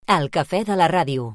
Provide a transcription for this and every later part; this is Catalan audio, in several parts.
El cafè de la ràdio.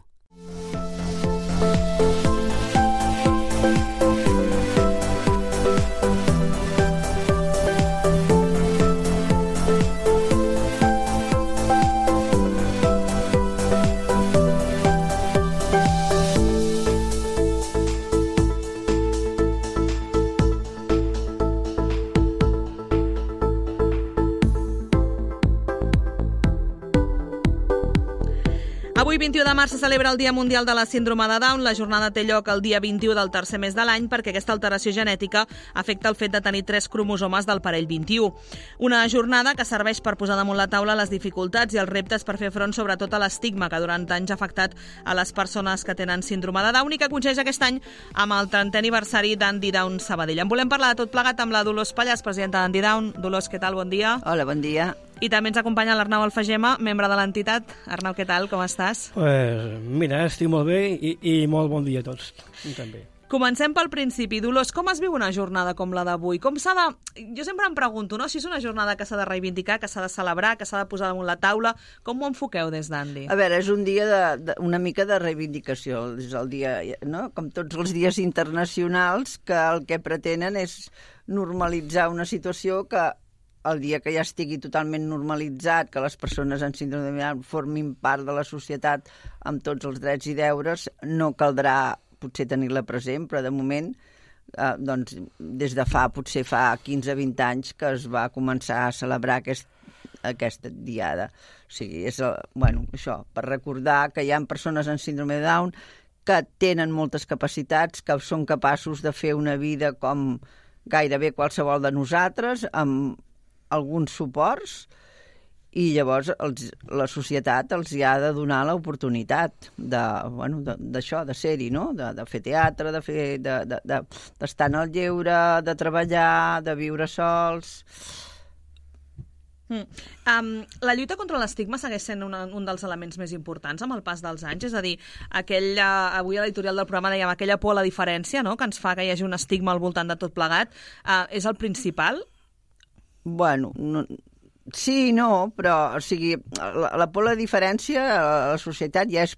Avui, 21 de març, se celebra el Dia Mundial de la Síndrome de Down. La jornada té lloc el dia 21 del tercer mes de l'any perquè aquesta alteració genètica afecta el fet de tenir 3 cromosomes del parell 21. Una jornada que serveix per posar damunt la taula les dificultats i els reptes per fer front sobretot a l'estigma que durant anys ha afectat a les persones que tenen síndrome de Down i que coincideix aquest any amb el 30è aniversari d'Andy Down Sabadell. En volem parlar de tot plegat amb la Dolors Pallàs, presidenta d'Andy Down. Dolors, què tal? Bon dia. Hola, bon dia. I també ens acompanya l'Arnau Alfagema, membre de l'entitat. Arnau, què tal? Com estàs? Mira, estic molt bé i molt bon dia a tots. També. Comencem pel principi. Dolors, com es viu una jornada com la d'avui? Com s'ha de... Jo sempre em pregunto, no? Si és una jornada que s'ha de reivindicar, que s'ha de celebrar, que s'ha de posar damunt la taula. Com ho enfoqueu des d'Andy? A veure, és un dia una mica de reivindicació. És el dia, no? Com tots els dies internacionals, que el que pretenen és normalitzar una situació que el dia que ja estigui totalment normalitzat, que les persones amb síndrome de Down formin part de la societat amb tots els drets i deures, no caldrà potser tenir-la present, però de moment, doncs, des de potser fa 15-20 anys que es va començar a celebrar aquesta diada. O sigui, és, això, per recordar que hi ha persones amb síndrome de Down que tenen moltes capacitats, que són capaços de fer una vida com gairebé qualsevol de nosaltres, amb alguns suports, i llavors la societat els hi ha de donar l'oportunitat d'això, de ser-hi, no? De fer teatre, d'estar en el lleure, de treballar, de viure sols. La lluita contra l'estigma segueix sent un dels elements més importants amb el pas dels anys, és a dir, avui a l'editorial del programa dèiem aquella por a la diferència, no?, que ens fa que hi hagi un estigma al voltant de tot plegat, és el principal? Bueno, sí, no, però, o sigui, la por a la diferència a la societat ja és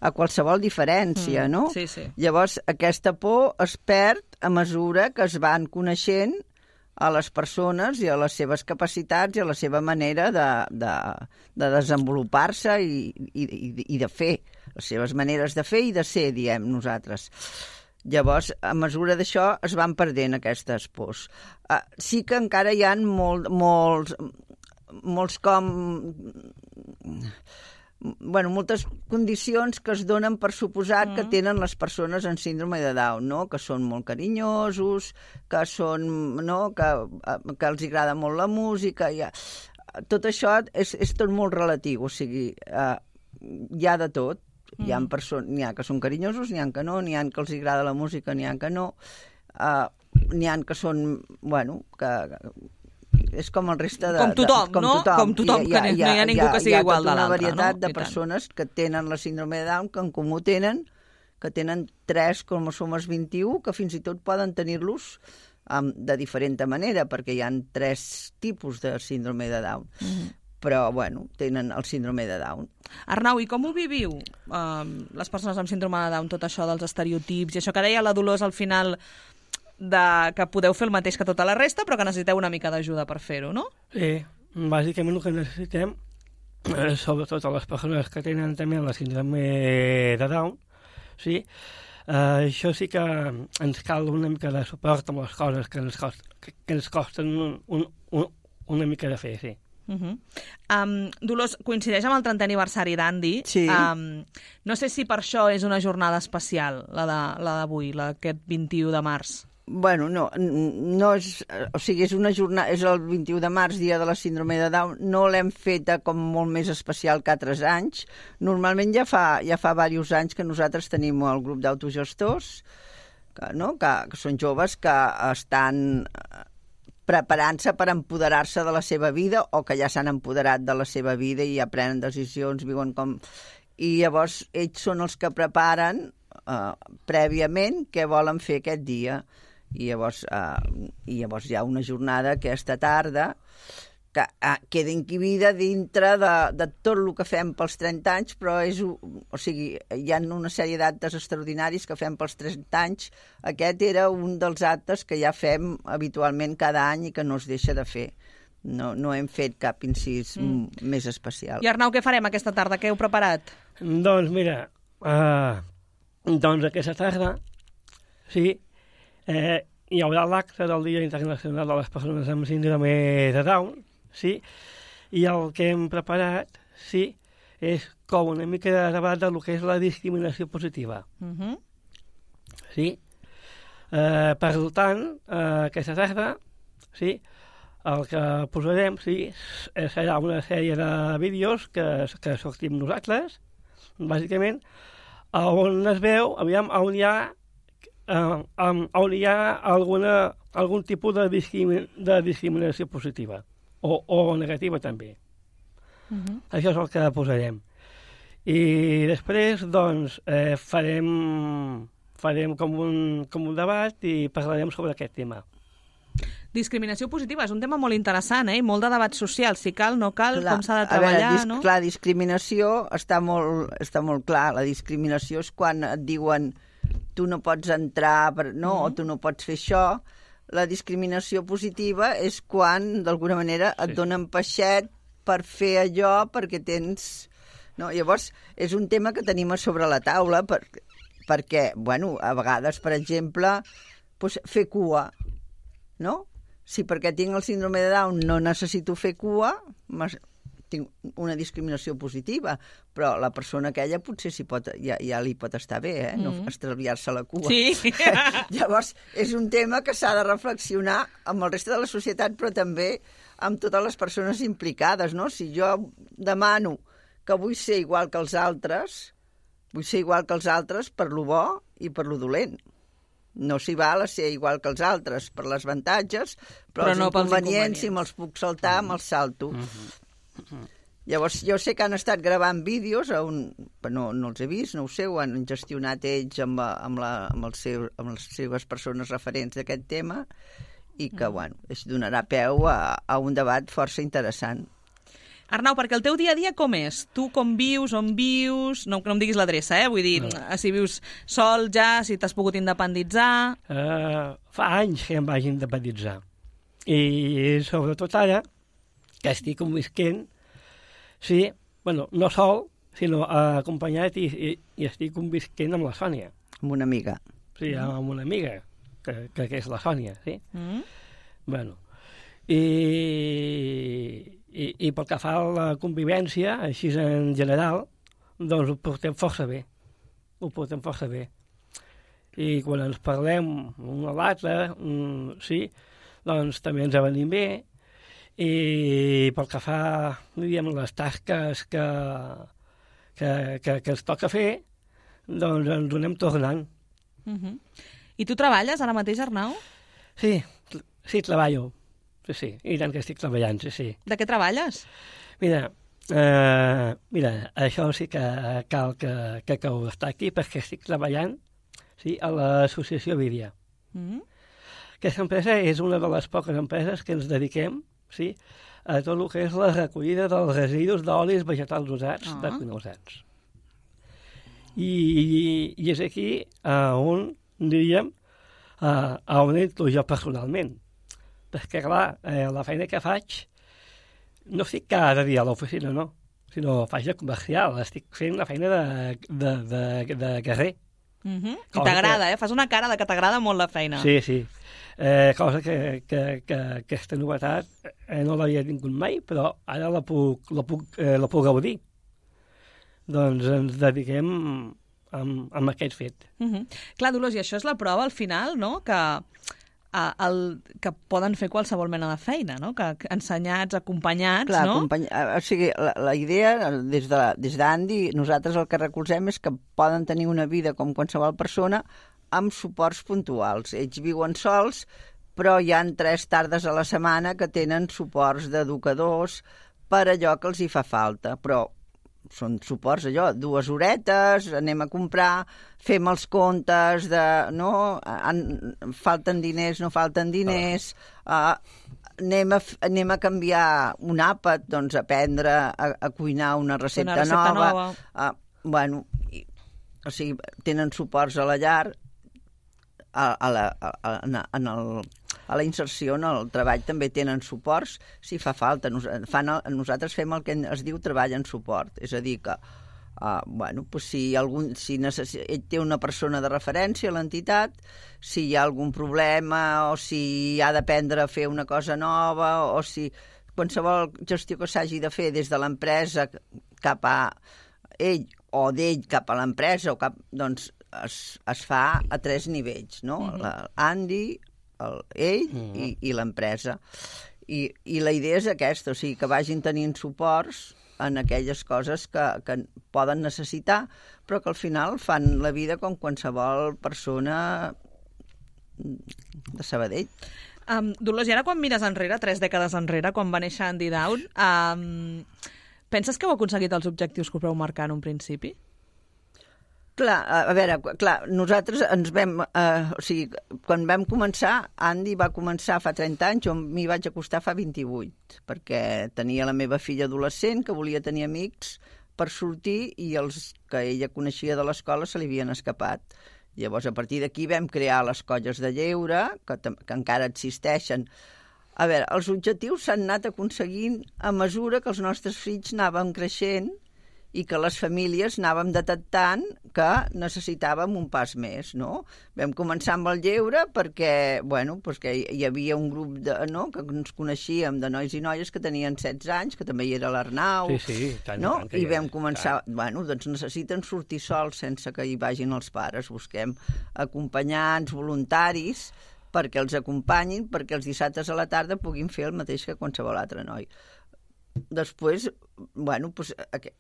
a qualsevol diferència, no? Sí, sí. Llavors, aquesta por es perd a mesura que es van coneixent a les persones i a les seves capacitats i a la seva manera de desenvolupar-se i de fer, les seves maneres de fer i de ser, diem nosaltres. Llavors, a mesura d'això, es van perdent aquestes pors. Sí que encara hi ha moltes condicions que es donen per suposat que tenen les persones amb síndrome de Down, no? Que són molt carinyosos, que són, no? Que els agrada molt la música. Tot això és tot molt relatiu, o sigui, hi ha de tot. N'hi ha que són carinyosos, n'hi ha que no, n'hi ha que els agrada la música, n'hi ha que no, n'hi ha que són, que és com el reste de... Com tothom, no? Com tothom, que no hi ha ningú que sigui igual de l'altre, no? Hi ha tota una varietat de persones que tenen la síndrome de Down, que en comú tenen 3 cromosomes 21, que fins i tot poden tenir-los de diferent manera, perquè hi ha 3 tipus de síndrome de Down. Però, tenen el síndrome de Down. Arnau, i com ho viviu, les persones amb síndrome de Down, tot això dels estereotips, i això que deia la Dolors al final, que podeu fer el mateix que tota la resta, però que necessiteu una mica d'ajuda per fer-ho, no? Sí, bàsicament el que necessitem, sobretot a les persones que tenen també la síndrome de Down, sí, això sí que ens cal una mica de suport amb les coses que ens costen una mica de fer, sí. Dolors, coincideix amb el 30è aniversari d'Andy. Sí. No sé si per això és una jornada especial, la d'avui, aquest 21 de març. No és... O sigui, és una jornada... És el 21 de març, dia de la síndrome de Down. No l'hem feta com molt més especial que altres anys. Normalment ja fa diversos anys que nosaltres tenim el grup d'autogestors, que són joves que estan preparant-se per empoderar-se de la seva vida o que ja s'han empoderat de la seva vida i ja prenen decisions, viuen com... I llavors ells són els que preparen prèviament què volen fer aquest dia. I llavors hi ha una jornada aquesta tarda que queda inquibida dintre de tot el que fem pels 30 anys, però hi ha una sèrie d'actes extraordinaris que fem pels 30 anys. Aquest era un dels actes que ja fem habitualment cada any i que no es deixa de fer. No hem fet cap incís més especial. I Arnau, què farem aquesta tarda? Què heu preparat? Doncs mira, aquesta tarda hi haurà l'acte del Dia Internacional de les Persones amb Síndrome de Down, i el que hem preparat és com una mica de debat del que és la discriminació positiva. Per tant, aquesta tarda el que posarem serà una sèrie de vídeos que sortim nosaltres, bàsicament, on es veu, on hi ha algun tipus de discriminació positiva o negativa també. Això és el que posarem. I després, doncs, farem com un debat i parlarem sobre aquest tema. Discriminació positiva és un tema molt interessant, i molt de debat social. Si cal, no cal, com s'ha de treballar, no? Clar, discriminació està molt clar. La discriminació és quan et diuen tu no pots entrar, o tu no pots fer això. La discriminació positiva és quan, d'alguna manera, et donen peixet per fer allò perquè tens... No? Llavors, és un tema que tenim a sobre la taula perquè, a vegades, per exemple, fer cua, no? Si perquè tinc el síndrome de Down no necessito fer cua, tinc una discriminació positiva, però la persona aquella potser ja li pot estar bé, no estalviar-se la cua. Sí. Llavors, és un tema que s'ha de reflexionar amb el reste de la societat, però també amb totes les persones implicades, no? Si jo demano que vull ser igual que els altres per lo bo i per lo dolent. No s'hi val a ser igual que els altres per les avantatges, però els inconvenients, si me'ls puc saltar, me'ls salto. Llavors, jo sé que han estat gravant vídeos, no els he vist, no ho sé, ho han gestionat ells amb les seves persones referents d'aquest tema, i que, es donarà peu a un debat força interessant. Arnau, perquè el teu dia a dia com és? Tu com vius, on vius? No em diguis l'adreça, vull dir, si vius sol ja, si t'has pogut independitzar... Fa anys que em vaig independitzar. I sobretot ara, que estic convisquent, no sol, sinó acompanyat i estic convisquent amb la Sònia. Amb una amiga. Sí, amb una amiga, que és la Sònia, I pel que fa a la convivència, així en general, doncs ho portem força bé. I quan ens parlem un a l'altre, doncs també ens avenim bé. I pel que fa, les tasques que ens toca fer, doncs ens ho anem tornant. I tu treballes ara mateix, Arnau? Sí, treballo. Sí, i tant que estic treballant, sí. De què treballes? Mira, això sí que cal que ho destaqui, perquè estic treballant a l'associació Vídia. Aquesta empresa és una de les poques empreses que ens dediquem a tot el que és la recollida dels residus d'olis vegetals usats de cuiners. I és aquí on, diríem, on entro jo personalment. Perquè, clar, la feina que faig no estic cada dia a l'oficina, no, sinó faig de comercial, estic fent la feina de carrer. I t'agrada, fas una cara de que t'agrada molt la feina. Sí. Cosa que aquesta novetat no l'havia tingut mai, però ara la puc gaudir. Doncs ens dediquem amb aquest fet. Clar, Dolors, i això és la prova al final, no?, que poden fer qualsevol mena de feina, no? Que ensenyats, acompanyats, clar, no? O sigui, la idea, des d'Andy, nosaltres el que recolzem és que poden tenir una vida com qualsevol persona amb suports puntuals. Ells viuen sols, però hi ha 3 tardes a la setmana que tenen suports d'educadors per allò que els hi fa falta, però són suports, 2 horetes, anem a comprar, fem els comptes de, no, falten diners, no falten diners, anem a canviar un àpat, doncs aprendre a cuinar una recepta nova. Bueno, o sigui, tenen suports a la llar, a la inserció, en el treball també tenen suports, si fa falta. Nosaltres fem el que es diu treball en suport, és a dir que si ell té una persona de referència a l'entitat, si hi ha algun problema o si ha d'aprendre a fer una cosa nova o si qualsevol gestió que s'hagi de fer des de l'empresa cap a ell o d'ell cap a l'empresa, doncs es fa a 3 nivells, no? L'Andy, ell i l'empresa. I la idea és aquesta, o sigui, que vagin tenint suports en aquelles coses que poden necessitar, però que al final fan la vida com qualsevol persona de Sabadell. Dolors, i ara quan mires enrere, 3 dècades enrere, quan va néixer Andy Down, penses que heu aconseguit els objectius que us vau marcar en un principi? Clar, a veure, nosaltres ens vam... o sigui, quan vam començar, Andy va començar fa 30 anys, jo m'hi vaig acostar fa 28, perquè tenia la meva filla adolescent, que volia tenir amics per sortir, i els que ella coneixia de l'escola se li havien escapat. Llavors, a partir d'aquí vam crear les colles de lleure, que encara existeixen. A veure, els objectius s'han anat aconseguint a mesura que els nostres fills anàvem creixent i que les famílies anàvem detectant que necessitàvem un pas més, no? Vam començar amb el lleure perquè, que hi havia un grup que ens coneixíem de nois i noies que tenien 16 anys, que també hi era l'Arnau, i vam començar, doncs necessiten sortir sols sense que hi vagin els pares, busquem acompanyants, voluntaris, perquè els acompanyin, perquè els dissabtes a la tarda puguin fer el mateix que qualsevol altre noi. Després, 20,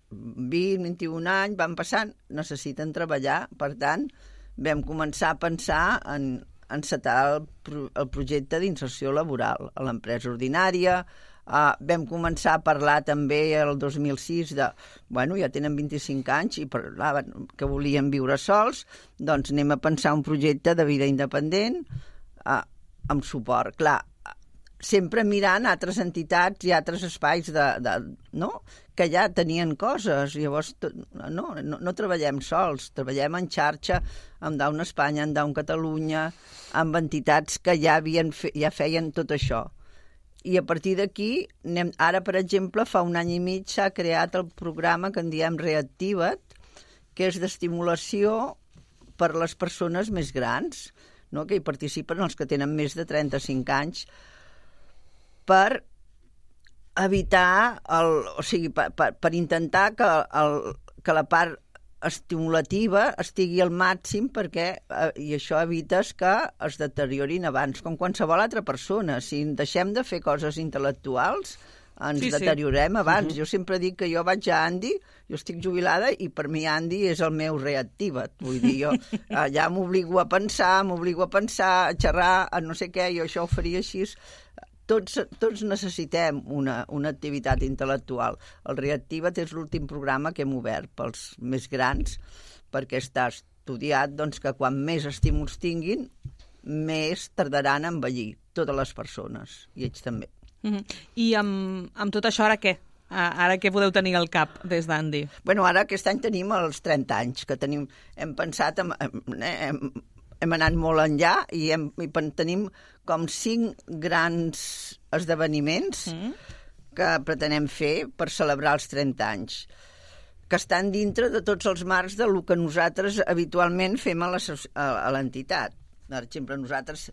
21 anys van passant, necessiten treballar, per tant, vam començar a pensar en encetar el projecte d'inserció laboral a l'empresa ordinària. Vam començar a parlar també el 2006 ja tenen 25 anys i parlaven que volien viure sols, doncs anem a pensar un projecte de vida independent amb suport. Clar, sempre mirant altres entitats i altres espais que ja tenien coses. Llavors, no treballem sols, treballem en xarxa amb Down Espanya, amb Down Catalunya, amb entitats que ja feien tot això. I a partir d'aquí, ara, per exemple, fa 1 any i mig s'ha creat el programa que en diem Reactiva't, que és d'estimulació per a les persones més grans, que hi participen els que tenen més de 35 anys, per evitar, per intentar que la part estimulativa estigui al màxim i això evites que es deteriorin abans, com qualsevol altra persona. Si deixem de fer coses intel·lectuals, ens deteriorem abans. Jo sempre dic que jo vaig a Andy, jo estic jubilada i per mi Andy és el meu Reactiva't. Vull dir, jo ja m'obligo a pensar, a xerrar, a no sé què, jo això ho faria així. Tots necessitem una activitat intel·lectual. El Reactiva't és l'últim programa que hem obert pels més grans, perquè està estudiat que quan més estímuls tinguin, més tardaran a envellir totes les persones, i ells també. I amb tot això, ara què? Ara què podeu tenir al cap des d'Andy? Ara aquest any tenim els 30 anys, que hem pensat... Hem anat molt enllà i tenim com 5 grans esdeveniments que pretenem fer per celebrar els 30 anys, que estan dintre de tots els marcs del que nosaltres habitualment fem a l'entitat. Per exemple, nosaltres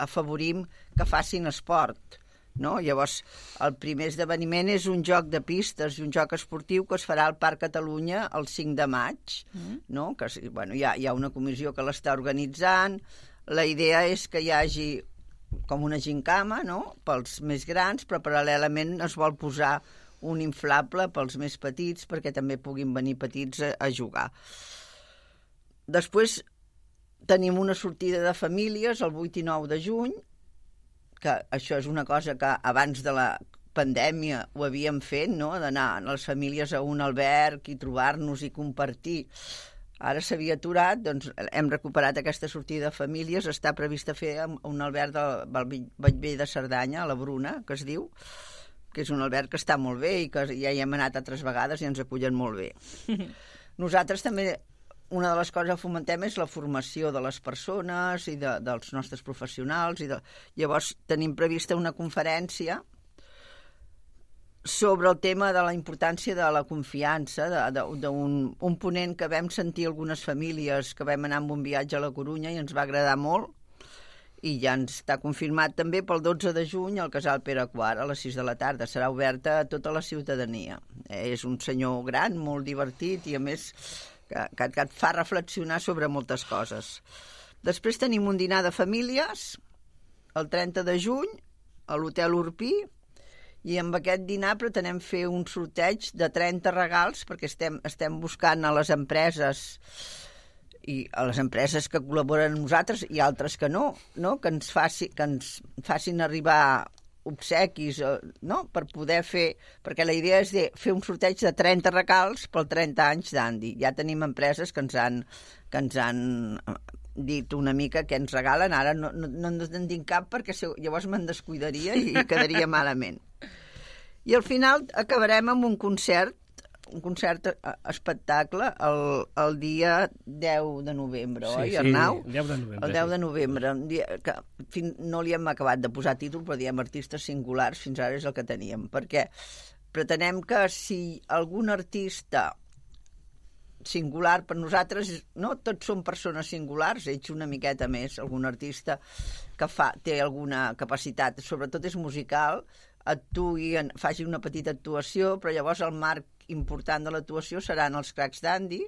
afavorim que facin esport. Llavors, el primer esdeveniment és un joc de pistes i un joc esportiu que es farà al Parc Catalunya el 5 de maig. Que hi ha una comissió que l'està organitzant. La idea és que hi hagi com una gincama pels més grans, però paral·lelament es vol posar un inflable pels més petits perquè també puguin venir petits a jugar. Després tenim una sortida de famílies el 8 i 9 de juny, que això és una cosa que abans de la pandèmia ho havíem fet, d'anar a les famílies a un alberg i trobar-nos i compartir Ara s'havia aturat, doncs hem recuperat aquesta sortida de famílies, està prevista fer un alberg del Bellvei de Cerdanya, a la Bruna, que es diu, que és un alberg que està molt bé i que ja hi hem anat altres vegades i ens acullen molt bé. Nosaltres també, una de les coses que fomentem és la formació de les persones i dels nostres professionals. Llavors tenim prevista una conferència sobre el tema de la importància de la confiança, d'un ponent que vam sentir algunes famílies que vam anar amb un viatge a la Corunya i ens va agradar molt, i ja ens està confirmat també pel 12 de juny al Casal Pere IV a les 6 de la tarda. Serà oberta a tota la ciutadania. És un senyor gran, molt divertit i a més que et fa reflexionar sobre moltes coses. Després tenim un dinar de famílies el 30 de juny a l'Hotel Urpí, i amb aquest dinar pretenem fer un sorteig de 30 regals perquè estem buscant a les empreses i a les empreses que col·laboren amb nosaltres i altres que no, que ens facin arribar obsequis, no? Per poder fer, perquè la idea és de fer un sorteig de 30 regals pel 30 anys d'Andy. Ja tenim empreses que ens han dit una mica que ens regalen, ara no en dic cap perquè llavors me'n descuidaria i quedaria malament. I al final acabarem amb un concert espectacle el dia 10 de novembre, oi, Arnau? Sí, 10 de novembre. El 10 de novembre, un dia que no li hem acabat de posar títol, però diem artistes singulars, fins ara és el que teníem, perquè pretenem que si algun artista singular per nosaltres, no tots són persones singulars, ets una miqueta més, algun artista que té alguna capacitat, sobretot és musical, faci una petita actuació, però llavors el marc important de l'actuació seran els Cracs d'Andy,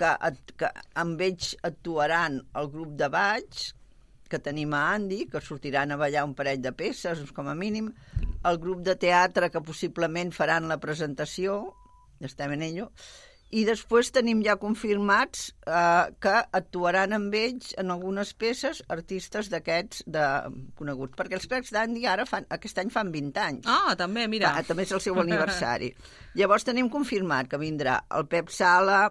que amb ells actuaran el grup de balls que tenim a Andy, que sortiran a ballar un parell de peces, com a mínim, el grup de teatre que possiblement faran la presentació, estem en ello, i després tenim ja confirmats que actuaran amb ells en algunes peces artistes d'aquests coneguts, perquè els Cracs d'Andy aquest any fan 20 anys. Ah, també, mira. També és el seu aniversari. Llavors tenim confirmat que vindrà el Pep Sala,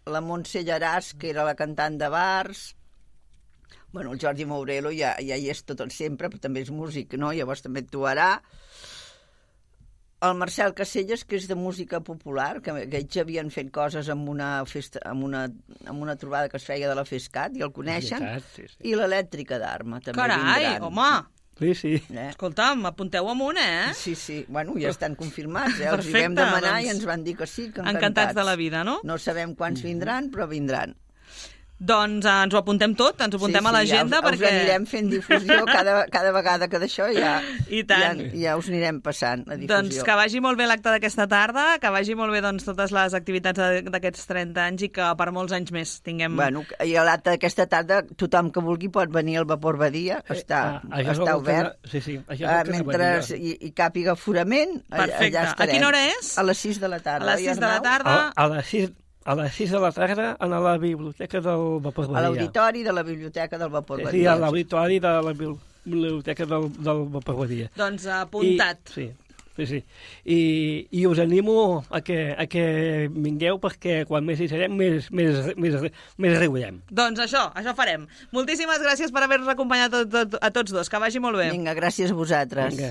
la Montse Llaràs, que era la cantant de bars, el Jordi Mourelo ja hi és tot sempre, però també és músic, no? Llavors també actuarà. El Marcel Caselles, que és de música popular, que ells havien fet coses amb una trobada que es feia de la FESCAT, i el coneixen, sí. I l'Elèctrica d'Arma també vindran. Carai, home! Sí. Escolta'm, apunteu amunt, Sí, ja estan confirmats. Els hi vam demanar i ens van dir que sí, que encantats de la vida, no? No sabem quants vindran, però vindran. Doncs ens ho apuntem tot, ens ho apuntem a l'agenda, perquè... Us anirem fent difusió cada vegada que d'això ja us anirem passant la difusió. Doncs que vagi molt bé l'acte d'aquesta tarda, que vagi molt bé totes les activitats d'aquests 30 anys i que per molts anys més tinguem... I a l'acte d'aquesta tarda tothom que vulgui pot venir al Vapor Badia, està obert. Sí, mentre hi càpiga aforament, allà estarem. A quina hora és? A les 6 de la tarda. A les 6 de la tarda? A les 6 de la tarda a la biblioteca del Vapor Badia. A l'auditori de la biblioteca del Vapor Badia. Sí, a l'auditori de la biblioteca del Vapor Badia. Doncs apuntat. Sí. I us animo a que vingueu, perquè quan més hi serem, més riurem. Doncs això farem. Moltíssimes gràcies per haver-nos acompanyat a tots dos. Que vagi molt bé. Vinga, gràcies a vosaltres. Vinga.